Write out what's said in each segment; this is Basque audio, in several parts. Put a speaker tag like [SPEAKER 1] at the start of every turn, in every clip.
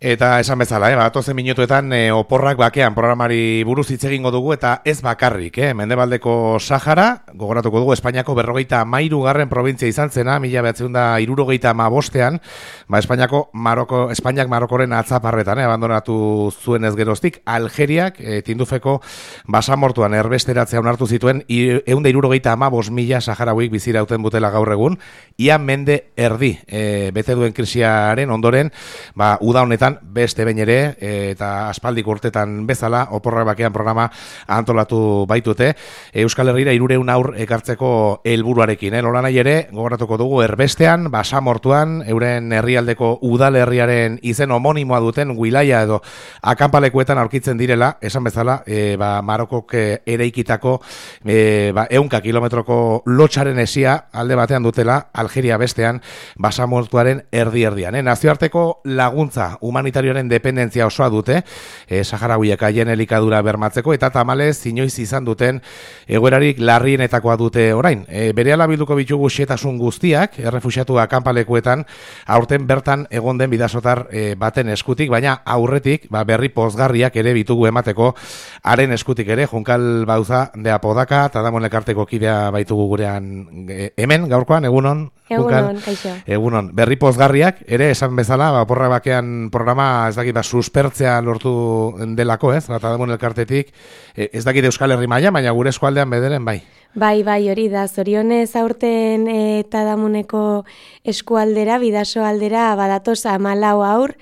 [SPEAKER 1] Eta esan bezala, batozen minutuetan oporrak bakean programari buruz hitz egingo dugu eta ez bakarrik, Mendebaldeko Sahara, gogoratuko dugu Espainiako 53. provintzia izan zena, 1975ean, Espainiak Marokoren atzaparretan, abandonatu zuen ez geroztik, Algeriak Tindufeko basamortuan erbesteratzea onartu zituen 175.000 saharauik bizirauten butela gaur egun, ia mende erdi bete duen krisiaren ondoren, uda honetan beste behin ere eta aspaldik urtetan bezala oporrak bakean programa antolatu baitute Euskal Herrira 300 haur ekartzeko helburuarekin. Nola nahi ere, gogoratuko dugu erbestean, basamortuan, euren herrialdeko udalerriaren izen homonimoa duten wilaia edo akanpalekuetan aurkitzen direla, esan bezala, Marokok eraikitako 100 kilometroko lotxaren esia alde batean dutela, Algeria bestean, basamortuaren erdi-erdian. Nazioarteko laguntza humanitarioaren dependentzia osoa dute, saharauiek haien elikadura bermatzeko, eta tamalez inoiz izan duten egoerarik larrienetakoa dute orain. Berehala bilduko bitugu xetasun guztiak, errefuxiatu akanpalekuetan, aurten bertan egon den bidasotar baten eskutik, baina aurretik berri pozgarriak ere bitugu emateko, haren eskutik ere, Junkal Bauza de Apodaka, eta Damon Elkarteko kidea baitugu gurean hemen, gaurkoan, egunon?
[SPEAKER 2] Egunon, kaixo.
[SPEAKER 1] Egunon, berri pozgarriak, ere, esan bezala, oporra bakean programa, ez dakit, suspertzea lortu delako, ez? Eta Damon Elkartetik, ez dakit Euskal Herri maila, baina gure eskualdean bederen, bai.
[SPEAKER 2] Bai, hori da, zorionez aurten eta Damuneko eskualdera, bidaso aldera, badatoz 14 haur,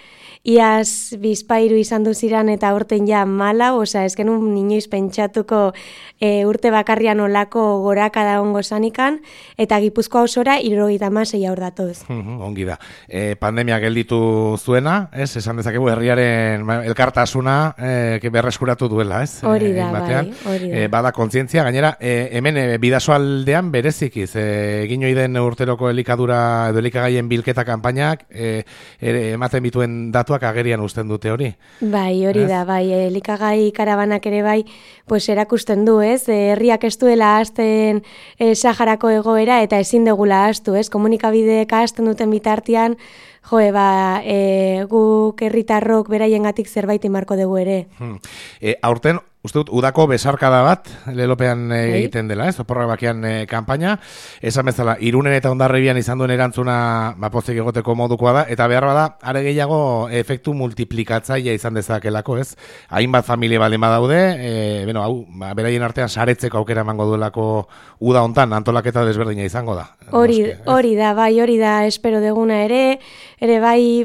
[SPEAKER 2] iaz bizpairu izan duziran eta aurten ja 14, osea, ez genuen inoiz pentsatuko urte bakarrian olako goraka da ongo zanikan, eta Gipuzkoa osora 76 haur datoz.
[SPEAKER 1] Ongi da. Pandemia gelditu zuena, ez? Esan dezakegu herriaren elkartasuna berreskuratu duela, ez?
[SPEAKER 2] Hori da, bai, hori da.
[SPEAKER 1] Bada kontzientzia, gainera, hemen bidasoaldean berezikiz, egin oiden urteroko elikadura edo elikagaien bilketa kanpainak, ematen bituen datuak agerian uzten dute hori.
[SPEAKER 2] Bai, hori da, bai, elikagai karabanak ere bai, pues erakusten du, ez? Herriak ez duela ahazten Saharako egoera eta ezin degula ahaztu, ez? Komunikabideek ahazten duten bitartean, guk herritarrok beraiengatik zerbait imarko dugu ere.
[SPEAKER 1] Aurten, uste dut, udako besarkada bat lelopean egiten dela, ez? Oporrak bakean kanpaina. Esan bezala, Irunen eta Hondarribian izan duen erantzuna pozik egoteko modukoa da, eta behar bada, are gehiago efektu multiplikatzailea izan dezakelako, ez? Hainbat familia baldin badaude, beraien artean saretzeko aukera emango duelako uda hontan antolaketa desberdina izango da.
[SPEAKER 2] Hori da, espero deguna ere bai,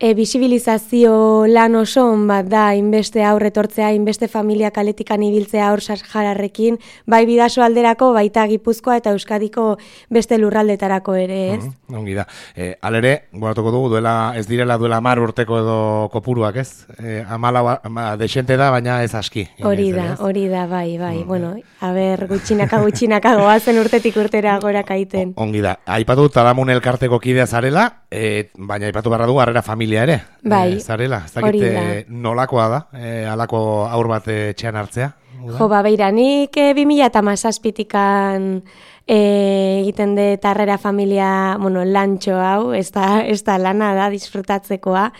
[SPEAKER 2] bisibilizazio lan oson bat da inbeste aurretortzea, inbeste familia kaletikan ibiltzea aur sahararrekin, bai bidaso alderako, baita Gipuzkoa eta Euskadiko beste lurraldetarako ere, ez?
[SPEAKER 1] Ongi da. Alere, goratuko dugu, ez direla duela 10 urteko edo kopuruak, ez? 14 desente da, baina ez aski.
[SPEAKER 2] Hori da, bai. Bueno, gutxinaka goazen urtetik urtera gorakaiten.
[SPEAKER 1] Ongi da. Aipatu Tadamun Elkarteko kidea zarela, baina aipatu barra dugu harrera familia ere.
[SPEAKER 2] Bai,
[SPEAKER 1] zarela, ez dakit nolakoa da, halako aur bat etxean hartzea?
[SPEAKER 2] Beiranik 2017tikan egiten de harrera familia, lantxo hau, ez da lana da, disfrutatzekoa.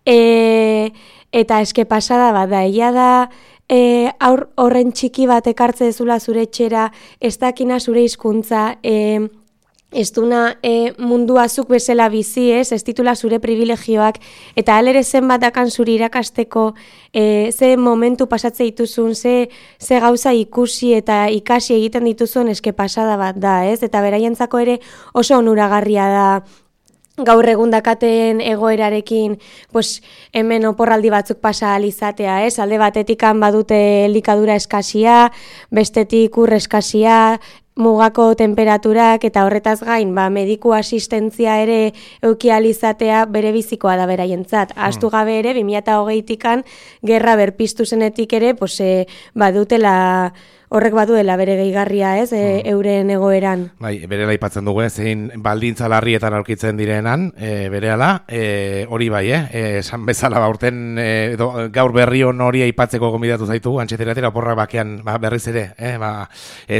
[SPEAKER 2] Eta eske pasada bat da, egia da, horren txiki bat ekartze dezula zure etxera, ez dakina zure hizkuntza, ez duna mundua zuk bezala bizi, ez titula zure privilegioak, eta alere zenbat dakan zure irakasteko, ze momentu pasatze dituzun, ze gauza ikusi eta ikasi egiten dituzun, eske pasada bat da, ez? Eta beraientzako ere oso onuragarria da, gaur egun dakaten egoerarekin, hemen oporraldi batzuk pasa alizatea, ez? Alde batetikan badute elikadura eskasia, bestetik ur eskasia, mugako temperaturak eta horretaz gain, mediku asistentzia ere eukializatea bere bizikoa da beraientzat. Ahaztu gabe ere, 2020tikan gerra berpiztu zenetik ere, badutela horrek baduela bere gehigarria, ez, euren egoeran.
[SPEAKER 1] Bai, berela aipatzen dugu, zein baldintza larrietan aurkitzen direnan, berehala, hori bai, esan bezala urten gaur berri hon hori aipatzeko gonbidatu zaitu, antxeteratera oporrak bakean berriz ere,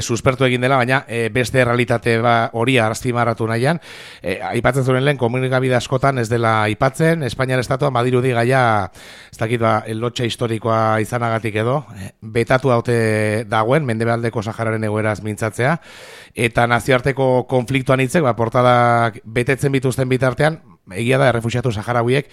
[SPEAKER 1] suspertu egin dela, baina beste realitate hori azpimarratu nahian, aipatzen zuen lehen komunikabide askotan ez dela aipatzen, Espainiar estatuan badirudi gaia, ez dakit lotxa historikoa izanagatik edo, betatu haute dagoen, Mendebaldeko Sahararen egoeraz mintzatzea, eta nazioarteko konfliktuan hitzek, portadak betetzen bituzten bitartean, egia da errefuxiatu saharauiek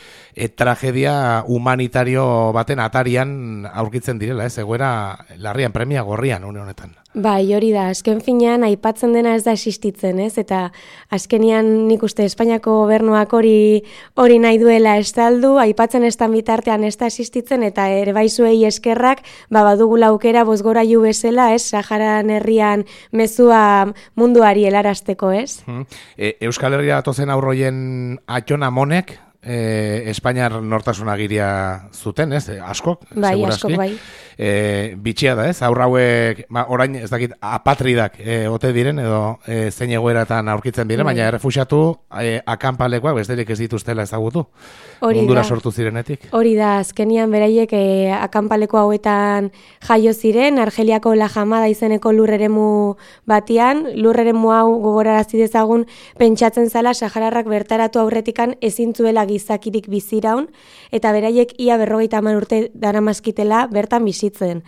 [SPEAKER 1] tragedia humanitario baten atarian aurkitzen direla, egoera larrian, premia gorrian une honetan.
[SPEAKER 2] Bai, hori da, azken finean aipatzen dena ez da existitzen, ez? Eta azkenian nik uste Espainiako gobernuak hori nahi duela estaldu, aipatzen estan bitartean ez da existitzen, eta ere baizuei eskerrak, badugula aukera bozgorailu bezala, ez? Saharan herrian mezua munduari helarazteko, ez?
[SPEAKER 1] Euskal Herria datozen aurroien Atxona Monek, Espainiar nortasunagiria zuten, ez? Askok,
[SPEAKER 2] bai,
[SPEAKER 1] segurazki.
[SPEAKER 2] Askok, bai.
[SPEAKER 1] Bitxia da, ez? Aurra hauek, orain, ez dakit, apatridak ote diren, edo zein egoeratan aurkitzen diren, baina errefuxiatu akanpalekoak besterik ez dituztela ezagutu. Mundura sortu zirenetik.
[SPEAKER 2] Hori da, azkenian beraiek akanpaleko hauetan jaio ziren, Argeliako La Jamada izeneko lurreremu batian, lurreremu hau gogorarazi dezagun pentsatzen zala sahararrak bertaratu aurretikan ezin zuela gizakirik biziraun, eta beraiek ia 50 urte daramazkitela bertan bizitzen.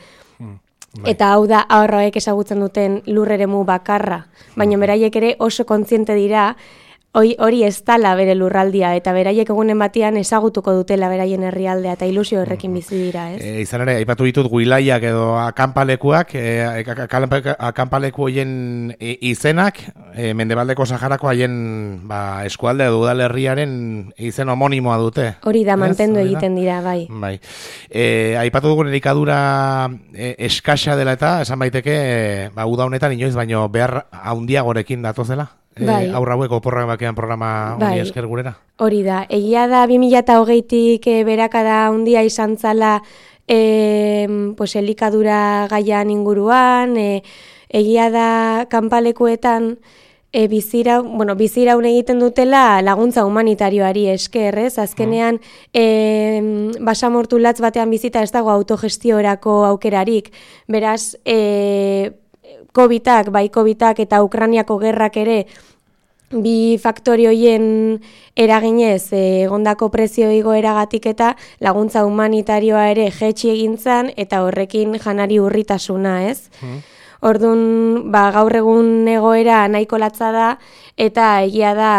[SPEAKER 2] Eta hau da ahorroek ezagutzen duten lurreremu bakarra, baina beraiek ere oso kontziente dira hori ez dala bere lurraldia, eta beraiek egunen batean ezagutuko dutela beraien herrialdea, eta ilusio horrekin bizi dira, ez?
[SPEAKER 1] Izan ere, aipatu ditut guilaiak edo akanpalekuak, akanpaleku hoien izenak, Mendebaldeko Saharako haien eskualde edo udalerriaren izen homonimoa dute.
[SPEAKER 2] Hori da, mantendu egiten dira, bai.
[SPEAKER 1] Bai. Aipatu dugun elikadura eskasa dela eta, esan baiteke, uda honetan inoiz, baino behar handiagorekin datozela? Aurra hauek oporrak bakean programa hori esker gurera? Hori
[SPEAKER 2] da, egia da 2020tik berakada handia izan zala elikadura gaian inguruan, egia da kanpalekuetan biziraun egiten dutela laguntza humanitarioari esker, ez? Azkenean basamortu latz batean bizita ez dago autogestiorako aukerarik, beraz Covidak eta Ukrainiako gerrak ere bi faktori hoien eraginez egondako prezio igoeragatik eta laguntza humanitarioa ere jaitsi egin zen eta horrekin janari urritasuna, ez? Orduan, gaur egun egoera nahiko latza da eta egia da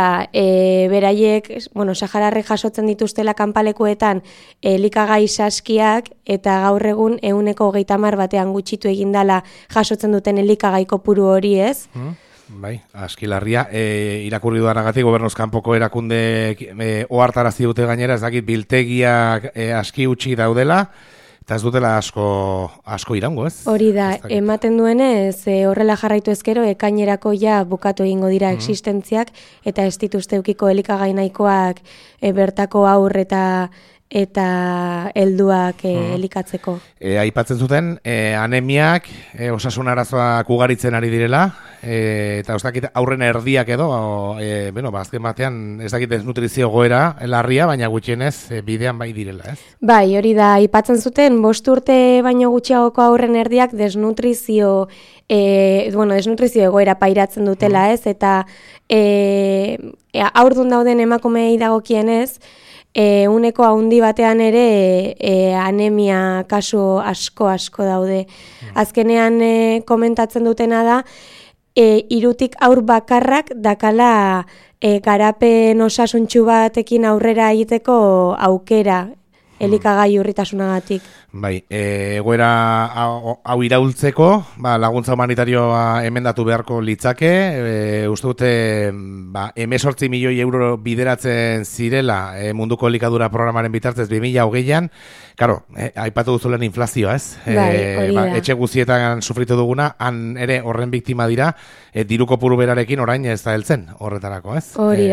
[SPEAKER 2] beraiek, sahararrek jasotzen dituztela kanpalekuetan elikagai saskiak eta gaur egun 130 batean gutxitu egindala jasotzen duten elikagai kopuru hori, ez?
[SPEAKER 1] Bai, askilarria, irakurri dudanagatik gobernuz kanpoko erakundeek ohartarazi dute gainera, ez dakit biltegiak aski utzi daudela, eta ez dutela asko iraungo, ez?
[SPEAKER 2] Hori da, ematen duenez, horrela jarraitu ezkero, ekainerako ja bukatu egingo dira existentziak, eta ez dituzte eukiko elikagai nahikoak bertako aur eta helduak elikatzeko.
[SPEAKER 1] Aipatzen zuten, anemiak, osasun arazoak ugaritzen ari direla, eta ez dakit aurren erdiak edo, azken batean ez dakit desnutrizio goera larria, baina gutxienez bidean bai direla, ez?
[SPEAKER 2] Bai, hori da, aipatzen zuten, 5 urte baino gutxiagoko aurren erdiak desnutrizio egoera pairatzen dutela, ez? Eta aurdun dauden emakumeei dagokienez, uneko handi batean ere anemia kasu asko daude. Azkenean komentatzen dutena da, 3 aur bakarrak dakala garapen osasuntsu batekin aurrera egiteko aukera elikagai urritasunagatik.
[SPEAKER 1] Bai, egoera hau iraultzeko, laguntza humanitarioa emendatu beharko litzake, uste dute 18 milioi euro bideratzen zirela munduko elikadura programaren bitartez 2020an, karo, aipatu duzulen inflazioa, ez? Etxe guztietan sufritu duguna, han ere horren biktima dira, diru kopuru berarekin orain ez da heltzen horretarako, ez?
[SPEAKER 2] Hori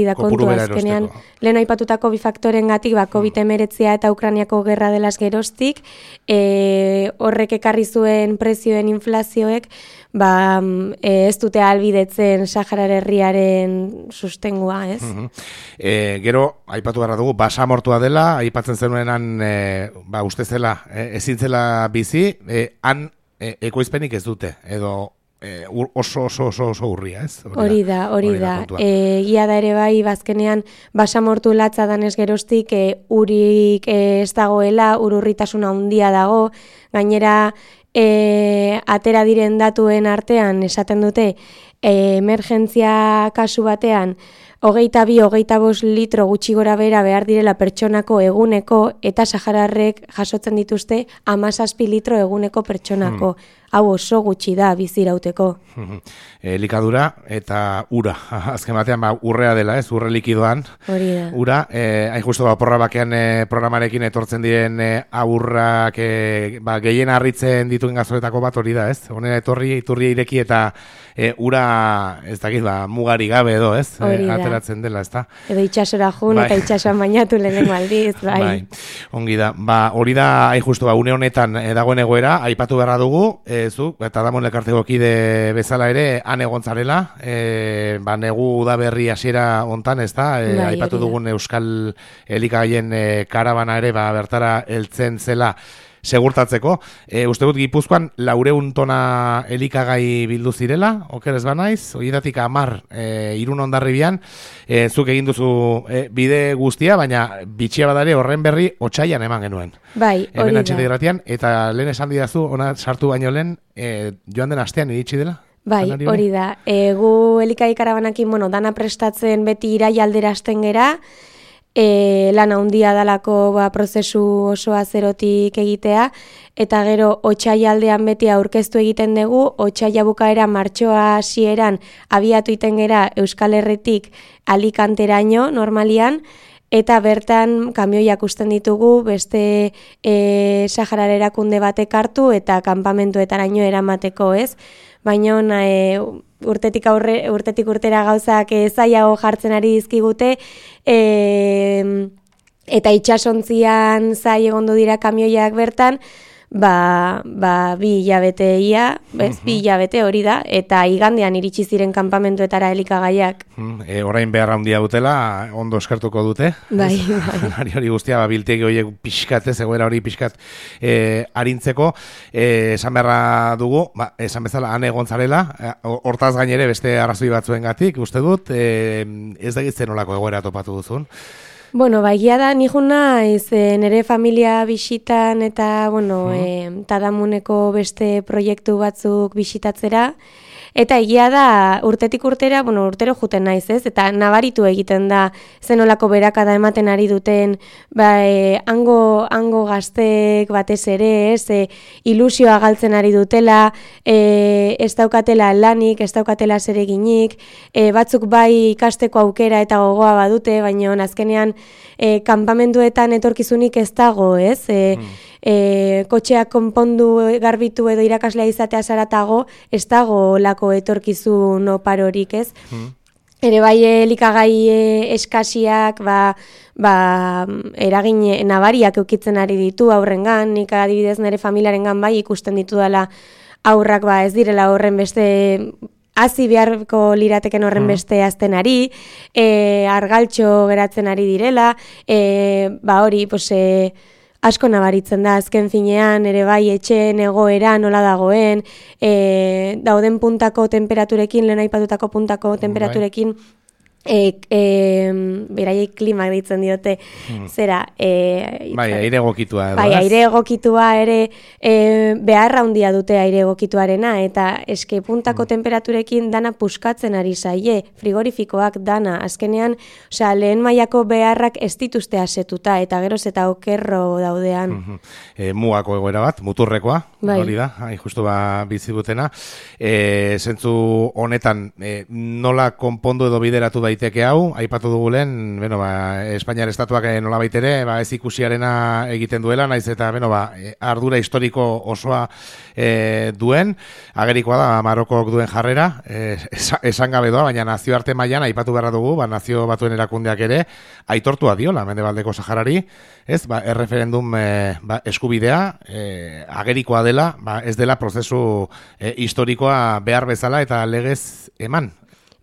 [SPEAKER 2] da kontua, azkenean lehen aipatutako bi faktorengatik COVID-19 eta Ukrainiako gerra delaz geroztik, horrek ekarri zuen prezioen inflazioek, ez dute ahalbidetzen Saharar herriaren sustengua, ez?
[SPEAKER 1] Gero, aipatu gara dugu, basamortua dela, aipatzen zenuenan, uste zela, ezin zela bizi, han ekoizpenik ez dute, edo oso urria, ez?
[SPEAKER 2] Hori da. Gia da ere bai, bazkenean basamortu latza danez geroztik, urik ez dagoela, urritasuna handia dago, gainera atera diren datuen artean esaten dute emergentzia kasu batean 22-25 litro gutxi gora bera behar direla pertsonako eguneko eta sahararrek jasotzen dituzte 17 litro eguneko pertsonako. Hau oso gutxi da bizirauteko.
[SPEAKER 1] Elikadura eta ura. Azken batean urrea dela, ez? Urre likidoan.
[SPEAKER 2] Hori da.
[SPEAKER 1] Ura, hain justu porra bakean programarekin etortzen diren aurrak gehien harritzen dituen gazoletako bat hori da, ez? Honera iturria ireki eta ura, ez dakit, mugari gabe edo, ez? Ateratzen dela, ez da?
[SPEAKER 2] Edo itxasora jun eta itxasoan bainatu lehenengo aldiz, bai.
[SPEAKER 1] Ongi da. Hori da, hain justu, une honetan dagoen egoera, aipatu beharra dugu, eta damon elkarteko kide bezala ere, han egon zarela, negu udaberri hasiera hontan, ez da? Aipatu dugun Euskal Elikagaien karabana ere, bertara heltzen zela, segurtatzeko. Uste dut Gipuzkoan 400 tona elikagai bildu zirela, oker ez banaiz, horietatik 10 Irun Hondarribian, zuk egin duzu bide guztia, baina bitxia badare horren berri otsaian eman genuen.
[SPEAKER 2] Bai, hori da.
[SPEAKER 1] Eta lehen esan didazu, ona sartu baino lehen, joan den astean iritsi dela?
[SPEAKER 2] Bai, hori da. Gu elikagai karabanakin, dana prestatzen beti iraia aldera hasten gera, lan handia dalako prozesu osoa zerotik egitea, eta gero otsaila aldean beti aurkeztu egiten dugu, otsaila bukaera martxoa hasieran abiatu iten gera Euskal Herritik Alicanteraino normalian, eta bertan kamioiak usten ditugu beste Saharar erakunde batek hartu eta kanpamentuetaraino eramateko, ez? Baina urtetik urtera gauzak zailago jartzen ari dizkigute, eta itxasontzian zai egondu dira kamioiak bertan, 2 hilabete ia, bi hilabete hori da, eta igandean iritsi ziren kanpamentuetara elikagaiak.
[SPEAKER 1] Orain behar handia dutela, ondo eskertuko dute.
[SPEAKER 2] Bai.
[SPEAKER 1] Hori guztia, biltegi horiek pixkat, egoera hori pixkat arintzeko. Esan beharra dugu, esan bezala, han egon zarela, hortaz gainere beste arrazoi batzuengatik, uste dut, ez da gitzen olako egoera topatu duzun.
[SPEAKER 2] Egia da, nihun naiz, nire familia bisitan eta, Tadamuneko beste proiektu batzuk bisitatzera, eta egia da, urtetik urtera, urtero juten naiz, ez? Eta nabaritu egiten da, zenolako berakada ematen ari duten, hango gazteek batez ere, ez? Ilusioa galtzen ari dutela, ez daukatela lanik, ez daukatela zereginik, batzuk bai ikasteko aukera eta gogoa badute, baina azkenean kanpamenduetan etorkizunik ez dago, ez? Kotxeak konpondu garbitu edo irakaslea izatea zaratago, ez dago lako etorkizun oparorik, ez? Ere bai elikagai eskasiak, eragin nabariak eukitzen ari ditu aurrengan, nik adibidez nire familiarengan bai ikusten ditu dela aurrak ez direla horren beste hazi beharko lirateken horren beste aztenari, argaltxo geratzen ari direla, hori, asko nabaritzen da, azken finean, ere bai etxeen egoera nola dagoen, dauden puntako temperaturekin, lehen aipatutako puntako temperaturekin, beraiek klimak ditzen diote, zera...
[SPEAKER 1] aire egokitua edo,
[SPEAKER 2] aire egokitua ere, beharra handia dute aire egokituarena, eta eske puntako temperaturekin dana puskatzen ari zaie, frigorifikoak dana, azkenean, lehen mailako beharrak ez dituzte asetuta, eta geroz eta okerro daudean.
[SPEAKER 1] Mugako egoera bat, muturrekoa, hori da, justu bizi dutena. Zentzu honetan, nola konpondu edo bideratu daiteke daiteke hau, aipatu dugu lehen, Espainiar estatuak nolabait ere, ez ikusiarena egiten duela, naiz eta, ardura historiko osoa duen, agerikoa da Marokok duen jarrera, esan gabe doa, baina nazioarte mailan aipatu beharra dugu, nazio batuen erakundeak ere, aitortua diola, Mendebaldeko Saharari, erreferendum eskubidea, agerikoa dela, ez dela prozesu historikoa behar bezala eta legez eman.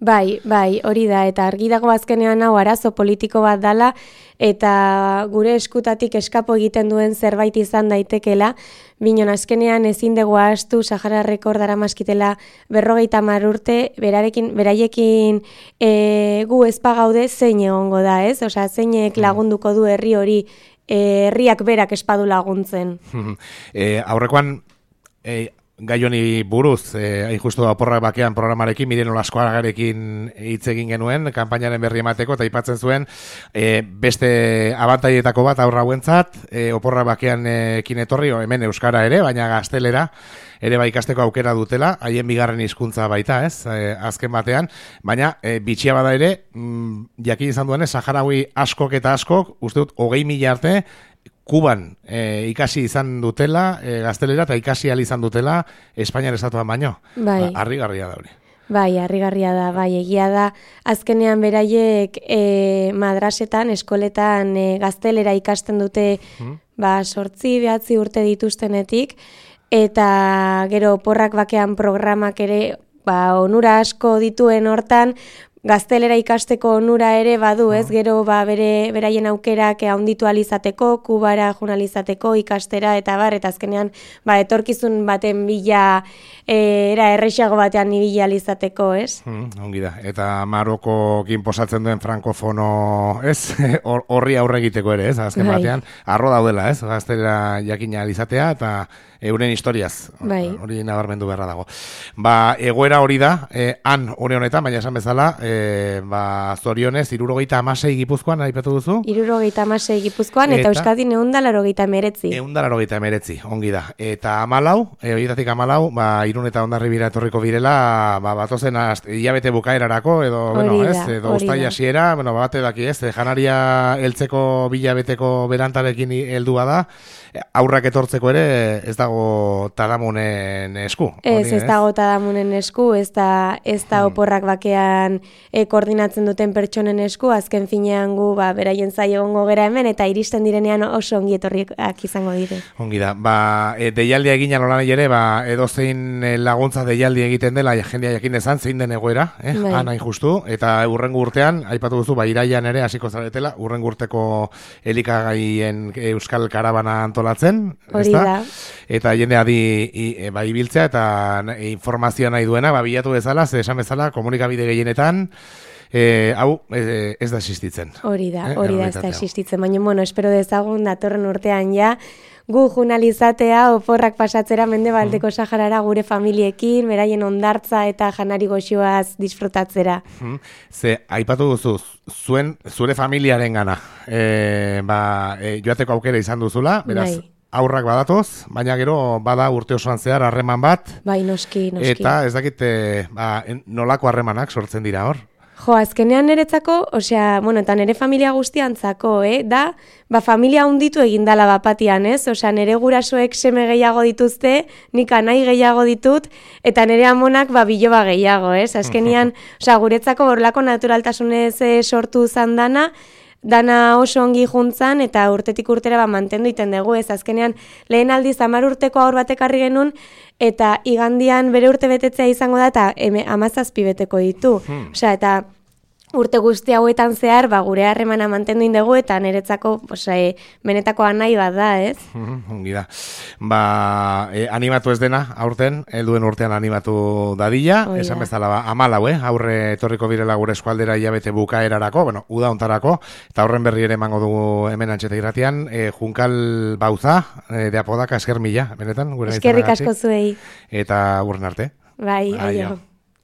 [SPEAKER 2] Bai, hori da, eta argi dago azkenean hau arazo politiko bat dala, eta gure eskutatik eskapo egiten duen zerbait izan daitekela, binon azkenean ezin dugu ahaztu Sahararreko daramaskitela 50 urte, beraiekin gu ezpagaude zein egongo da, ez? Osea, zeinek lagunduko du herri hori, herriak berak espadu laguntzen.
[SPEAKER 1] Aurrekoan, gai honi buruz, hain justu Oporrak bakean programarekin, Miren Olaskoagarekin hitz egin genuen, kanpainaren berri emateko, eta aipatzen zuen, beste abantaietako bat aurra hauentzat, Oporrak bakean ekin etorri, hemen euskara ere, baina gaztelera, ere ikasteko aukera dutela, haien bigarren hizkuntza baita, ez, azken batean, baina bitxia bada ere, jakin izan duenez, Saharaui askok eta askok, uste dut, 20.000 arte, Kuban ikasi izan dutela, gaztelera, eta ikasi izan dutela Espainiar estatuan baino.
[SPEAKER 2] Bai.
[SPEAKER 1] Harrigarria da hori.
[SPEAKER 2] Bai, harrigarria da, egia da. Azkenean beraiek madrasetan, eskoletan gaztelera ikasten dute 8-9 urte dituztenetik, eta gero Oporrak bakean programak ere onura asko dituen hortan, gaztelera ikasteko onura ere badu, ez? Gero beraien aukerak handitu alizateko, Kubara joanalizateko, ikastera eta azkenean etorkizun baten bila errexago batean ibila alizateko, ez?
[SPEAKER 1] Ongi da. Eta Marokokin posatzen duen frankofono, ez? Horri aurre egiteko ere, ez? Azken batean, arro daudela, ez? Gaztelera jakina alizatea eta euren historiaz. Hori nabarmendu beharra dago. Egoera hori da, han hori honetan, baina esan bezala, zorionez, 76 Gipuzkoan, aipatu duzu?
[SPEAKER 2] 76 Gipuzkoan, eta Euskadin 189.
[SPEAKER 1] 189, ongi da. Eta 14, horietatik 14, Irun eta Hondarribira etorriko birela, batozen hilabete bukaerarako, edo uztaila hasiera, bate daki ez, janaria heltzeko bilabeteko berantarekin heldua da, aurrak etortzeko ere ez dago Tadamunen esku.
[SPEAKER 2] Ez dago Tadamunen esku, ez da Oporrak bakean koordinatzen duten pertsonen esku, azken finean gu beraien zai egongo gera hemen, eta iristen direnean oso ongi etorriak izango dire.
[SPEAKER 1] Ongi da, deialdia egin alolan ere, edozein laguntza deialdi egiten dela, jendea jakin dezan, zein den egoera, hain justu, eta urrengo urtean, aipatu duzu, iraian ere hasiko zaretela, urrengo urteko elikagaien euskal karabana antolatzen,
[SPEAKER 2] hori da.
[SPEAKER 1] Eta jendea ibiltzea, eta informazioa nahi duena, bilatu bezala, esan bezala, komunikabide gehienetan, hau ez da existitzen.
[SPEAKER 2] Hori da, ez da existitzen, baina, espero dezagun datorren urtean ja, gu journalizatea Oporrak pasatzera Mendebaldeko Saharara gure familiekin, beraien ondartza eta janari goxoaz disfrutatzera.
[SPEAKER 1] Aipatu duzu, zure familiaren gana, joateko aukera izan duzula, beraz, aurrak badatoz, baina gero bada urte osoan zehar harreman bat.
[SPEAKER 2] Noski.
[SPEAKER 1] Eta ez dakit nolako harremanak sortzen dira hor.
[SPEAKER 2] Azkenean niretzako, eta nire familia guztiantzako, da, familia hunditu egindala bapatian, ez? Nire gurasoek seme gehiago dituzte, nik anai gehiago ditut, eta nire amonak biloba gehiago, ez? Azkenean, guretzako borlako naturaltasunez sortu zan dana oso ongi juntzan, eta urtetik urtera mantendu iten dugu, ez? Azkenean, lehen aldiz 10 urteko aur batekarri genuen, eta igandian bere urte betetzea izango da, eta 17 beteko ditu. Eta urte guzti hauetan zehar, gure harremana mantendu indegu, eta niretzako benetako anai bat da, ez?
[SPEAKER 1] Ongi da. Animatu ez dena, aurten, helduen urtean animatu dadila, esan bezala, 14, aurre etorriko birela gure eskualdera hilabete bukaerarako, uda ontarako, eta horren berri ere emango dugu hemen Antxeta Irratian, Junkal Bauza, de Apodaka, esker mila, benetan, gure
[SPEAKER 2] eskerrik asko zuei.
[SPEAKER 1] Eta urren arte.
[SPEAKER 2] Bai, aio.